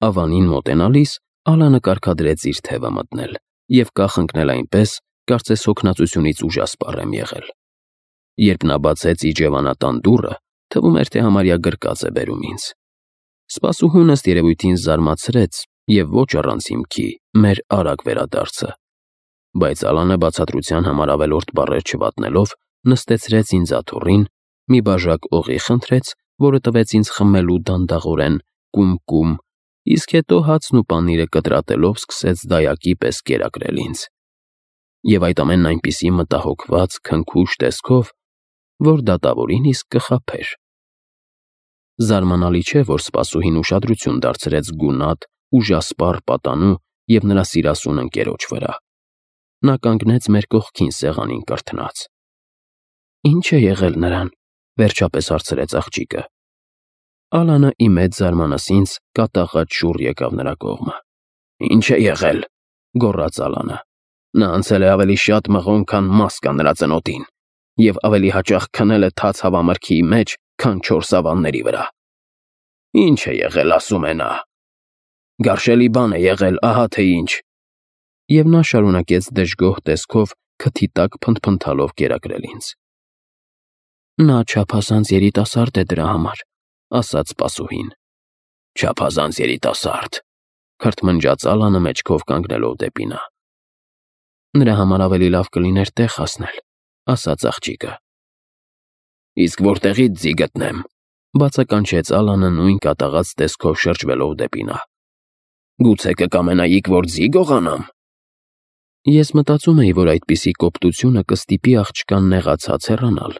Ավանին մոտենալիս Ալանը կարգադրեց իր թևը մտնել և կախ ընկնել այնպես, կարծես հոգնածությունից ուժասպառ եմ եղել։ Երբ նա բացեց իջևանատան դուռը, թվում էր, թե համարյա գրկած է բերում ինձ։ Սպասուհուն ըստ երևույթին զարմացրեց և ոչ առանց հիմքի մեր արագ վերադարձը։ Բայց Ալանը բացատրության համար ավելորդ բառեր չվատնելով, նստեցրեց ինձ աթոռին, մի բաժակ օղի խնդրեց, որը տվեց ինձ խմելու դանդաղորեն կում, իսկ հետո հացն ու պանիրը կտրատելով սկսեց դայակի պես կերակրել ինձ։ Եվ այդ ամենն այնպիսի մտահոգված, քնքուշ տեսքով, որ դատավորին իսկ կխաբեր։ Զարմանալի չէ, որ սպասուհին ուշադրություն դարձրեց գունատ, ուժասպառ պատանու և նրա սիրասուն ընկերոջ վրա։ Նա կանգնեց մեր կողքին սեղանին կրթնած։ «Ի՞նչ է եղել նրան», վերջապես հարցրեց աղջիկը։ Ալանը ի մեծ զարմանս ինձ կատաղած շուռ եկավ նրա կողմը։ «Ի՞նչ է եղել», գոռաց Ալանը։ «Նա անցել է ավելի շատ մղոն, քան մաս կա նրա ծնոտին, և ավելի հաճախ քնել է թաց հավամրգի մեջ, քան չոր սավանների վրա։ Ի՞նչ է եղել, ասում է նա։ Գարշելի բան է եղել, ահա թե ինչ»։ Եվ նա շարունակեց դժգոհ տեսքով քթի տակ փնթփնթալով կերակրել ինձ։ «Նա չափազանց երիտասարդ է դրա համար», ասաց սպասուհին։ «Չափազանց երիտասարդ», քրթմնջաց Ալանը մեջքով կանգնելով դեպի նա։ «Նրա համար ավելի լավ կլիներ տեղ հասնել», ասաց աղջիկը։ «Իսկ որտեղի՞ց ձի գտնեմ», բացականչեց Ալանը նույն կատաղած տեսքով շրջվելով դեպի նա։ «Գուցե կկամենայիք, որ ձի գողանամ»։ Ես մտածում էի, որ այդպիսի կոպտությունը կստիպի աղջկան նեղացած հեռանալ։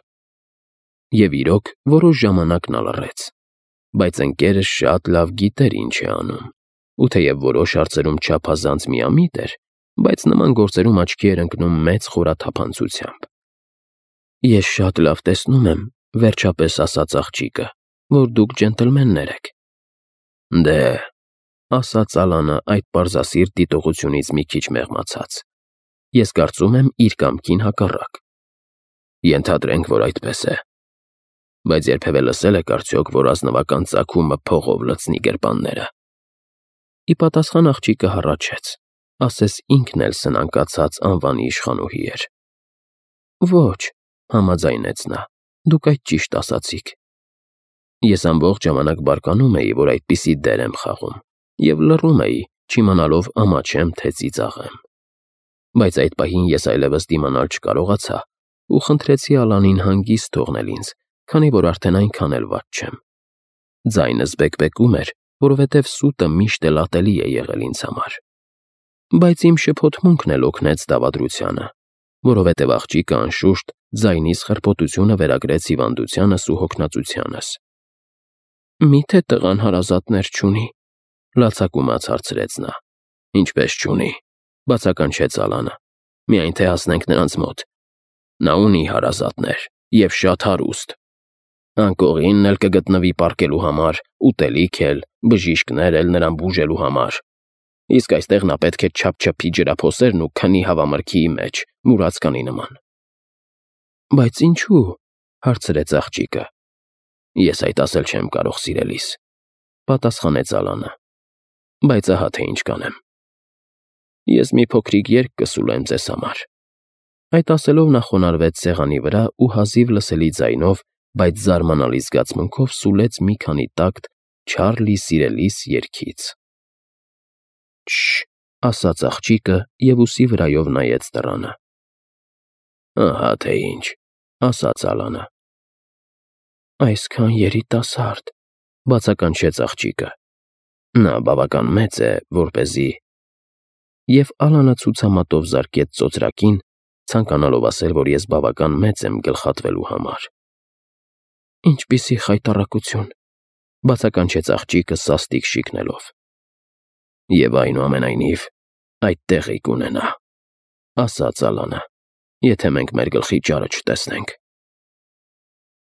Եվ իրոք, որոշ ժամանակ նա լռեց, բայց ընկերս շատ լավ գիտեր ինչ է անում, ու թեև որոշ հարցերում չափազանց միամիտ էր, բայց նման գործերում աչքի էր ընկնում մեծ խորաթափանցությամբ։ «Ես շատ լավ տեսնում եմ», վերջապես ասաց աղջիկը, «որ դուք ջենտլմեններ եք»։ «Դե», ասաց Ալանը այդ պարզասիրտ դիտողությունից մի քիչ մեղմացած, «ես կարծում եմ իր կամքին հակառակ»։ «Ենթադրենք, որ այդպես է։ Բայց երբևէ լսել եք արդյոք, որ ազնվական ծագումը փողով լցնի գրպանները»։ Ի պատասխան աղջիկը հառաչեց, ասես ինքն էլ սնանկացած անվանի իշխանուհի էր։ «Ոչ», համաձայնեց նա, «դուք այդ ճիշտ ասացիք»։ Ես ամբողջ ժամանակ բարկանում էի, որ այդպիսի դեր եմ խաղում, և լռում էի, չիմանալով ամաչեմ, թե ծիծաղեմ։ Բայց այդ պահին ես այլևս դիմանալ չկարողացա ու խնդրեցի Ալանին հանգիստ թողնել ինձ, քանի որ արդեն այնքան էլ վատ չեմ։ Ձայնս բեկբեկում էր, որովհետև սուտը միշտ էլ ատելի է եղել ինձ համար։ Բայց իմ շփոթմունքն էլ օգնեց դավադրությանը, որովհետև աղջիկը անշուշտ ձայնիս խրպոտությունը վերագրեց հիվանդությանս ու հոգնածությանս։ «Մի՞թե տղան հարազատներ չունի», լացակումած հարցրեց նա։ «Ինչպես չունի», բացականչեց Ալանը, «միայն թե հասնենք նրանց մոտ։ Նա ունի հարազատներ, և շատ հարուստ։ Անկողինն էլ կգտնվի պառկելու համար, ուտելիք էլ, բժիշկներ էլ նրան բուժելու համար։ Իսկ այստեղ նա պետք է չափչփի ջրափոսերն ու քնի հավամրգի մեջ, մուրացկանի նման»։ «Բայց ինչու՞, հարցրեց աղջիկը։ «Ես այդ ասել չեմ կարող, սիրելիս», պատասխանեց Ալանը, «բայց ահա թե ինչ կանեմ։ Ես մի փոքրիկ երգ կսուլեմ ձեզ համար»։ Այդ ասելով նա խոնարհվեց սեղանի վրա ու հազիվ լսելի ձայնով, բայց զարմանալի զգացմունքով սուլեց մի քանի տակտ «Չարլի սիրելիս» երգից։ «Շ», ասաց աղջիկը և ուսի վրայով նայեց դռանը։ «Ահա թե ինչ», ասաց Ալանը։ «Այսքան երիտասարդ», բացականչեց աղջիկը։ «Նա բավական մեծ է, որպեսզի…» Եվ Ալանը ցուցամատով զարկեց ծոծրակին, ցանկանալով ասել, որ ես բավական մեծ եմ գլխատվելու համար։ «Ինչպիսի խայտառակություն», բացականչեց աղջիկը սաստիկ շիկնելով։ «Եվ այնուամենայնիվ այդ տեղի կունենա», ասաց Ալանը, «եթե մենք մեր գլխի ճարը չտեսնենք»։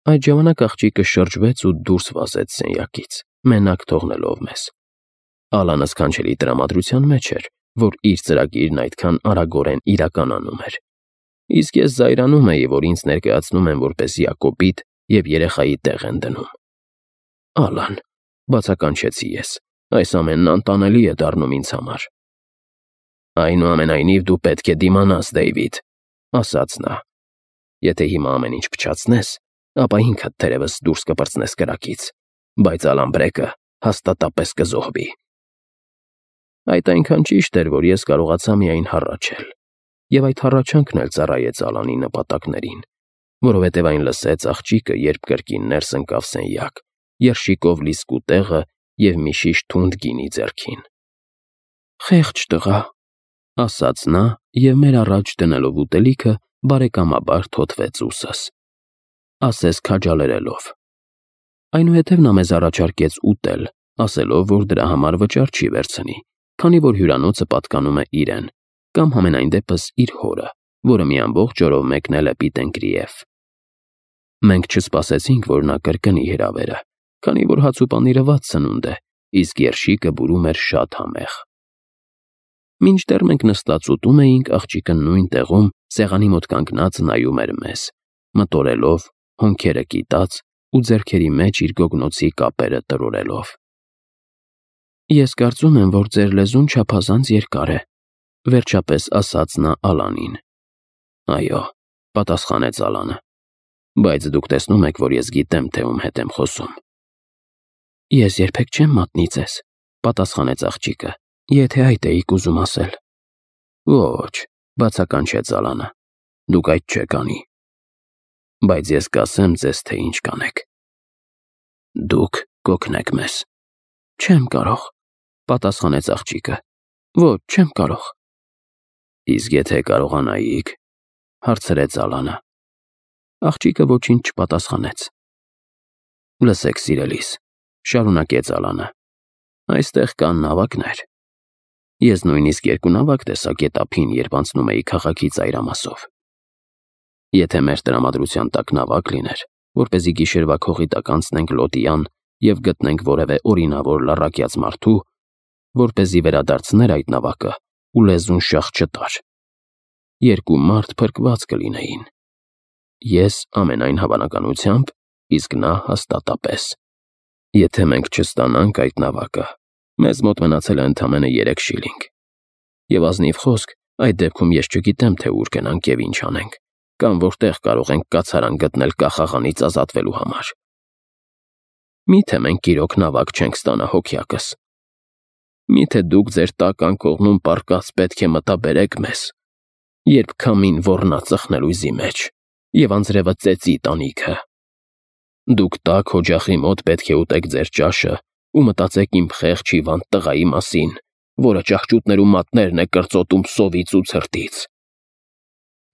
Այդ ժամանակ աղջիկը շրջվեց ու դուրս վազեց սենյակից, մենակ թողնելով մեզ։ Ալանը սքանչելի տրամադրության մեջ էր, որ իր ծրագիրն այդքան արագորեն իրականանում էր։ Իսկ ես զայրանում էի, որ ինձ ներկայացնում են որպես Յակոբիտ և երեխայի տեղ են դնում։ «Ալան», բացականչեցի ես, Այս ամենն անտանելի է դառնում ինձ համար։ Այնուամենայնիվ դու պետք է դիմանաս, Դեյվիդ, ասաց նա։ Եթե հիմա ամեն ինչ փչացնես, ապա ինքդ թերևս դուրս կպրծնես կրակից, բայց Ալամբրեկը հաստատապես կզոհվի։ Այդ այնքան ճիշտ էր, որ ես կարողացա միայն հառաչել, եւ այդ հառաչանքն էլ ծառայեց Ալանի նպատակներին, որովհետև այն լսեց աղջիկը, երբ կրկին ներս ընկավ սենյակ, երշիկով լիսկու տեղը և մի շիշ թունդ գինի ձեռքին։ «Խեղճ տղա», ասաց նա և մեր առաջ դնելով ուտելիքը բարեկամաբար թոթվեց ուսս, ասես քաջալերելով։ Այնուհետև նա մեզ առաջարկեց ուտել, ասելով, որ դրա համար վճար չի վերցնի, քանի որ հյուրանոցը պատկանում է իրեն, կամ համենայն դեպս իր հորը, որը մի ամբողջ օրով մեկնել է Պիտենկրիև։ Մենք չսպասեցինք, որ նա կրկնի հրավերը, քանի որ հաց ու պանիրը վատ սնունդ է, իսկ երշիկը բուրում էր շատ համեղ։ Մինչդեռ մենք նստած ուտում էինք, աղջիկը նույն տեղում սեղանի մոտ կանգնած նայում էր մեզ, մտորելով, հոնքերը կիտած ու ձեռքերի մեջ իր գոգնոցի կապերը տրորելով։ Ես կարծում եմ, որ ձեր լեզուն չափազանց երկար է, վերջապես ասաց նա Ալանին։ Այո, պատասխանեց Ալանը, բայց դուք տեսնում եք, որ ես գիտեմ, թե ում հետ եմ խոսում։ Ես երբեք չեմ մատնի ձեզ, պատասխանեց աղջիկը, եթե այդ էիք ուզում ասել։ Ոչ, բացականչեց Ալանը, դուք այդ չեք անի։ Բայց ես կասեմ ձեզ, թե ինչ կանեք։ Դուք կօգնեք մեզ։ Չեմ կարող, պատասխանեց աղջիկը։ Ոչ, չեմ կարող։ Իսկ եթե կարողանայիք, հարցրեց Ալանը։ Աղջիկը ոչինչ չպատասխանեց։ Լսեք, սիրելիս, շարունակեց Ալանը, այստեղ կան նավակներ։ Ես նույնիսկ երկու նավակ տեսա գետափին, երբ անցնում էի քաղաքի ծայրամասով։ Եթե մեր տրամադրության տակ նավակ լիներ, որպեսզի գիշերվա քողի տակ անցնենք Լոտիան և գտնենք որևէ օրինավոր լառակյաց մարդու, որպեսզի վերադարձներ այդ նավակը ու լեզուն շաղ չտար, երկու մարդ փրկված կլինեին։ Ես ամենայն հավանականությամբ, իսկ նա հաստատապես։ Եթե մենք չստանանք այդ նավակը, մեզ մոտ մնացել է ընդամենը 3 շիլինգ։ Եվ ազնիվ խոսք, այդ դեպքում ես չգիտեմ, թե ուր գնանք և ինչ անենք, կամ որտեղ կարող ենք կացարան գտնել կախաղանից ազատվելու համար։ Միթե մենք իրոք նավակ չենք ստանա հոգյակս։ Միթե դուք ձեր տակ անկողնում պառկած պետք է մտաբերեք մեզ, երբ քամին ոռնա ծխնելույզի մեջ և անձրևը ծեծի տանիքը։ Դուք տաք օջախի մոտ պետք է ուտեք ձեր ճաշը ու մտածեք իմ խեղճ հիվանդ տղայի մասին, որը ճահճուտներու մատներն է կրծոտում սովից ու ցրտից։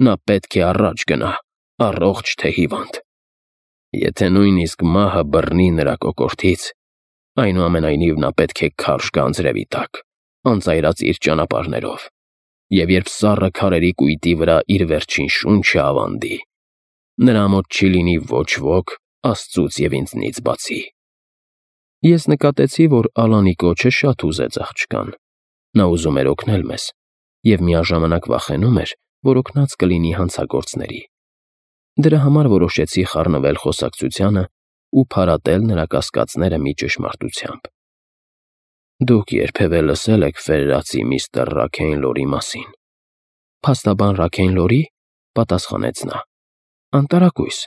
Նա պետք է առաջ գնա, առողջ թե հիվանդ։ Եթե նույնիսկ մահը բռնի նրա կոկորդից, այնուամենայնիվ նա պետք է քարշ գա անձրևի տակ, անծայրած իր ճանապարհներով, և երբ սառը քարերի կույտի վրա իր վերջին շունչը ավանդի, նրա մոտ չի լինի ոչ ոք Աստծուց և ինձնից բացի։ Ես նկատեցի, որ Ալանի կոչը շատ հուզեց աղջկան։ Նա ուզում էր օգնել մեզ և միաժամանակ վախենում էր, որ օգնած կլինի հանցագործների։ Դրա համար որոշեցի խառնվել խոսակցությանը ու փարատել նրա կասկածները մի ճշմարտությամբ։ Դուք երբևէ լսել եք ֆերրացի միստր Ռաքեյնլորի մասին։ Փաստաբան Ռաքեյնլորի, պատասխանեց նա։ Անտարակույս։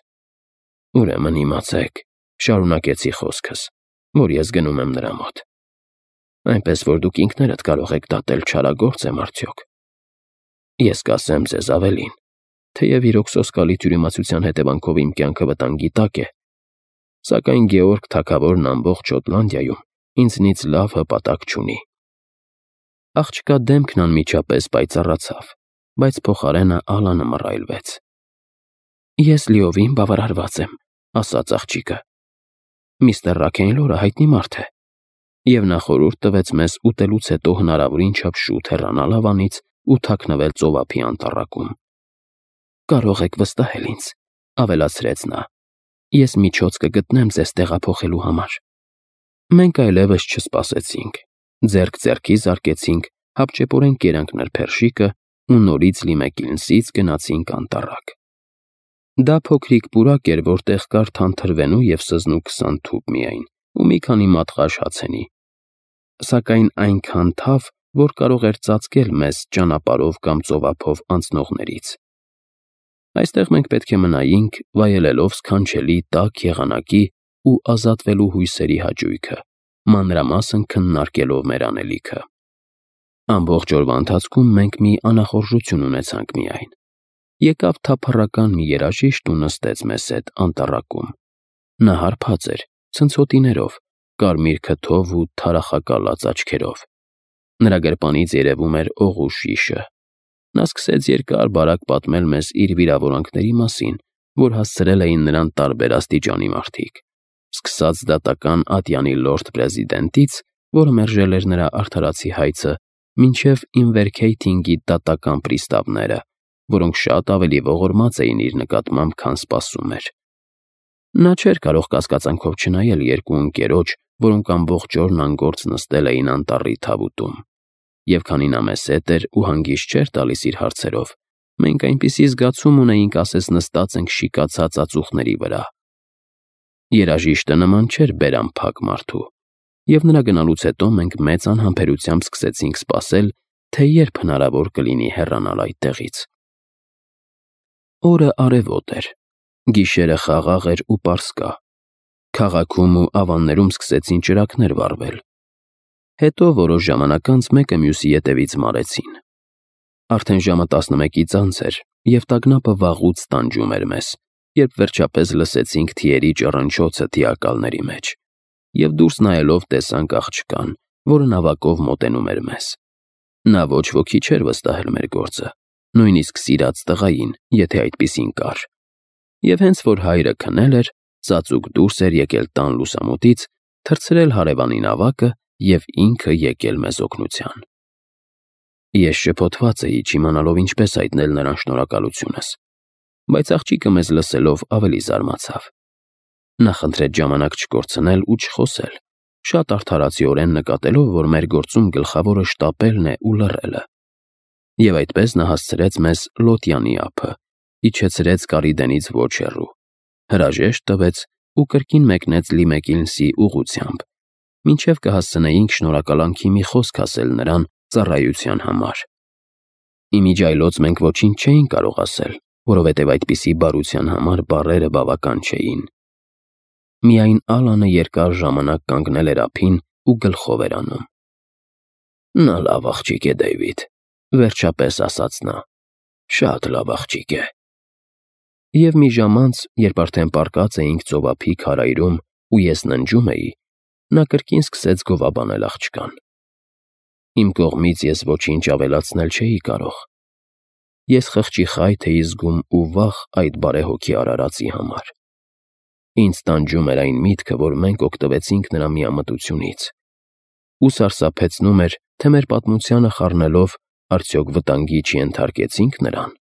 Ուրեմն իմացեք, շարունակեցի խոսքս, որ ես գնում եմ նրա մոտ։ Այնպես որ դուք ինքներդ կարող եք դատել չարագործ եմ արդյոք։ Ես կասեմ ձեզ ավելին, թեև իրոք սոսկալի թյուրիմացության հետևանքով իմ կյանքը վտանգի տակ է, սակայն Գեորգ թագավորն ամբողջ Շոտլանդիայում ինձնից լավ հպատակ չունի։ Աղջկա դեմքն անմիջապես պայծառացավ, բայց փոխարենը Ալանը մռայլվեց։ Ես լիովին բավարարված եմ, ասաց աղջիկը։ Միստր Ռաքեյնլորը հայտնի մարդ է, և նա խորհուրդ տվեց մեզ ուտելուց հետո հնարավորին չափ շուտ հեռանալ ավանից ու թաքնվել ծովափի անտառակում։ Կարող եք վստահել ինձ, ավելացրեց նա, ես միջոց կգտնեմ ձեզ տեղափոխելու համար։ Մենք այլևս չսպասեցինք, ձեռք ձեռքի զարկեցինք, հապճեպորեն կերանք նրբերշիկը ու նորից Լիմեկիլնսից գնացինք անտառակ։ Դա փոքրիկ պուրակ էր, որտեղ կար թանթրվենու և սզնու 20 թուփ միայն ու մի քանի մատղաշ հացենի։ սակայն այնքան թավ, որ կարող էր ծածկել մեզ ճանապարհով կամ ծովափով անցնողներից։ Այստեղ մենք պետք է մնայինք, վայելելով սքանչելի տաք եղանակի ու ազատվելու հույսերի հաճույքը, մանրամասն քննարկելով մեր անելիքը։ Ամբողջ օրվա ընթացքում մենք մի անախորժություն ունեցանք միայն։ Եկավ թափառական մի երաժիշտ ու նստեց մեզ հետ անտառակում։ Նա հարբած էր, ցնցոտիներով, կարմիր քթով ու թարախակալած աչքերով։ Նրա գրպանից երևում էր օղու շիշը։ Նա սկսեց երկար-բարակ պատմել մեզ իր վիրավորանքների մասին, որ հասցրել էին նրան տարբեր աստիճանի մարդիկ, սկսած դատական ատյանի լորդ պրեզիդենտից, որը մերժել էր նրա արդարացի հայցը, մինչև Ինվերքեյթինգի դատական պրիստավները, որոնք շատ ավելի ողորմած էին իր նկատմամբ, քան սպասում էր։ Նա չէր կարող կասկածանքով չնայել երկու ընկերոջ, որոնք ամբողջ օրն անգործ նստել էին անտառի թավուտում։ Եվ քանի նա մեզ հետ էր ու հանգիստ չէր տալիս իր հարցերով, մենք այնպիսի զգացում ունեինք, ասես նստած ենք շիկացած ածուխների վրա։ Երաժիշտը նման չէր բերանփակ մարդու, և նրա գնալուց հետո մենք մեծ անհամբերությամբ սկսեցինք սպասել, թե երբ հնարավոր կլինի հեռանալ այդտեղից։ Օրը արևոտ էր, գիշերը խաղաղ էր ու պարսկա։ Քաղաքում ու ավաններում սկսեցին ճրագներ վառվել։ Հետո որոշ ժամանակ անց մեկը մյուսի ետևից մարեցին։ Արդեն ժամը 11-ից անց էր, և տագնապը վաղուց տանջում էր մեզ, երբ վերջապես լսեցինք թիերի ճռնչոցը թիակալների մեջ, և դուրս նայելով տեսանք աղջկան, որը նավակով մոտենում էր մեզ։ Նա ոչ ոքի չէր վստահել մեր գործը, նույնիսկ սիրած տղային, եթե այդպիսին կար։ Եվ հենց որ հայրը քնել էր, ծածուկ դուրս էր եկել տան լուսամուտից, թռցրել հարևանի նավակը և ինքը եկել մեզ օգնության։ Ես շփոթված էի, չիմանալով ինչպես հայտնել նրան շնորհակալությունս, բայց աղջիկը մեզ լսելով ավելի զարմացավ։ Նա խնդրեց ժամանակ չկորցնել ու չխոսել, շատ արդարացիորեն նկատելով, որ մեր գործում գլխավորը շտապելն է ու լռելը։ Եվ այդպես նա հասցրեց մեզ Լոտյանի ափը, իջեցրեց Կարիդենից ոչ հեռու, հրաժեշտ տվեց ու կրկին մեկնեց Լիմեկինսի ուղղությամբ, մինչև կհասցնեինք շնորհակալանքի մի խոսք ասել նրան ծառայության համար։ Ի միջի այլոց մենք ոչինչ չէինք կարող ասել, որովհետև այդպիսի բարության համար բառերը բավական չէին։ Միայն Ալանը երկար ժամանակ կանգնել էր ափին ու գլխով էր անում։ Նա լավ աղջիկ է, Դեյվիդ, վերջապես ասաց նա, շատ լավ աղջիկ է։ Եվ մի ժամ անց, երբ արդեն պառկած էինք ծովափի քարայրում ու ես ննջում էի, նա կրկին սկսեց գովաբանել աղջկան։ Իմ կողմից ես ոչինչ ավելացնել չէի կարող։ Ես խղճի խայթ էի զգում ու վախ այդ բարեհոգի արարածի համար։ Ինձ տանջում էր այն միտքը, որ մենք օգտվեցինք նրա միամտությունից, ու սարսափեցնում էր, թե մեր պատմությանը խառնելով արդյոք վտանգի չենթարկեցինք նրան։